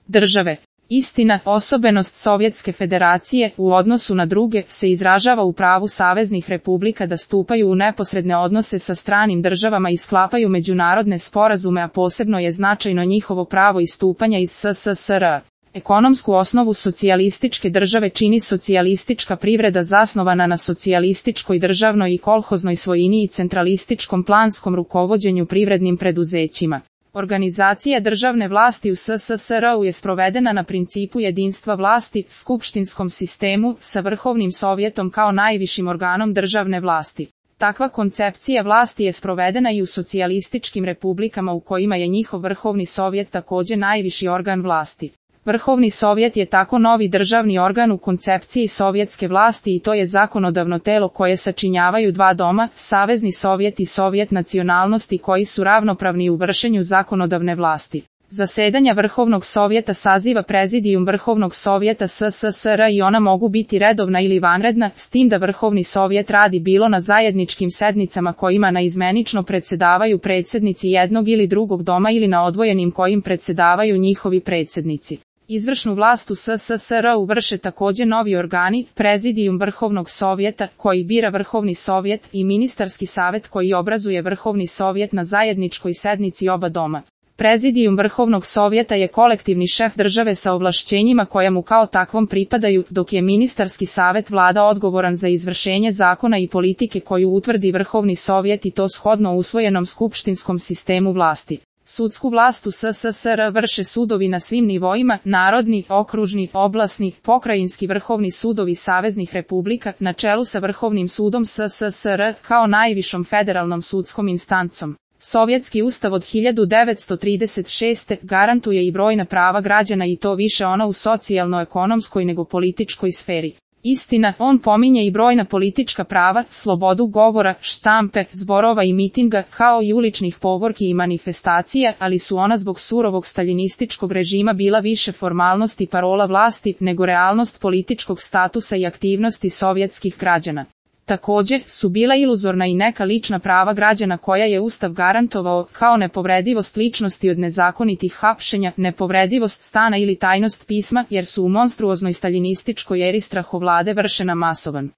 države. Istina, osobenost Sovjetske federacije u odnosu na druge se izražava u pravu saveznih republika da stupaju u neposredne odnose sa stranim državama i sklapaju međunarodne sporazume, a posebno je značajno njihovo pravo istupanja iz SSSR. Ekonomsku osnovu socijalističke države čini socijalistička privreda zasnovana na socijalističkoj državnoj i kolhoznoj svojini i centralističkom planskom rukovođenju privrednim preduzećima. Organizacija državne vlasti u SSSR-u je sprovedena na principu jedinstva vlasti, skupštinskom sistemu, sa Vrhovnim sovjetom kao najvišim organom državne vlasti. Takva koncepcija vlasti je sprovedena i u socijalističkim republikama u kojima je njihov Vrhovni sovjet također najviši organ vlasti. Vrhovni sovjet je tako novi državni organ u koncepciji sovjetske vlasti i to je zakonodavno telo koje sačinjavaju dva doma, Savezni sovjet i Sovjet nacionalnosti koji su ravnopravni u vršenju zakonodavne vlasti. Zasedanja Vrhovnog sovjeta saziva Prezidijum Vrhovnog sovjeta SSSR i ona mogu biti redovna ili vanredna, s tim da Vrhovni sovjet radi bilo na zajedničkim sednicama kojima naizmenično predsjedavaju predsjednici jednog ili drugog doma ili na odvojenim kojim predsjedavaju njihovi predsjednici. Izvršnu vlast u SSSR-u vrše također novi organi, Prezidijum Vrhovnog sovjeta, koji bira Vrhovni sovjet, i Ministarski savjet koji obrazuje Vrhovni sovjet na zajedničkoj sednici oba doma. Prezidijum Vrhovnog sovjeta je kolektivni šef države sa ovlašćenjima koja mu kao takvom pripadaju, dok je Ministarski savjet vlada odgovoran za izvršenje zakona i politike koju utvrdi Vrhovni sovjet i to shodno usvojenom skupštinskom sistemu vlasti. Sudsku vlast u SSSR vrše sudovi na svim nivoima, narodni, okružni, oblasni, pokrajinski vrhovni sudovi saveznih republika, na čelu sa Vrhovnim sudom SSSR, kao najvišom federalnom sudskom instancom. Sovjetski ustav od 1936. garantuje i brojna prava građana i to više ona u socijalno-ekonomskoj nego političkoj sferi. Istina, on pominje i brojna politička prava, slobodu govora, štampe, zborova i mitinga, kao i uličnih povorki i manifestacija, ali su ona zbog surovog staljinističkog režima bila više formalnost i parola vlasti, nego realnost političkog statusa i aktivnosti sovjetskih građana. Također su bila iluzorna i neka lična prava građana koja je Ustav garantovao, kao nepovredivost ličnosti od nezakonitih hapšenja, nepovredivost stana ili tajnost pisma, jer su u monstruoznoj staljinističkoj eri strahovlade vršena masovan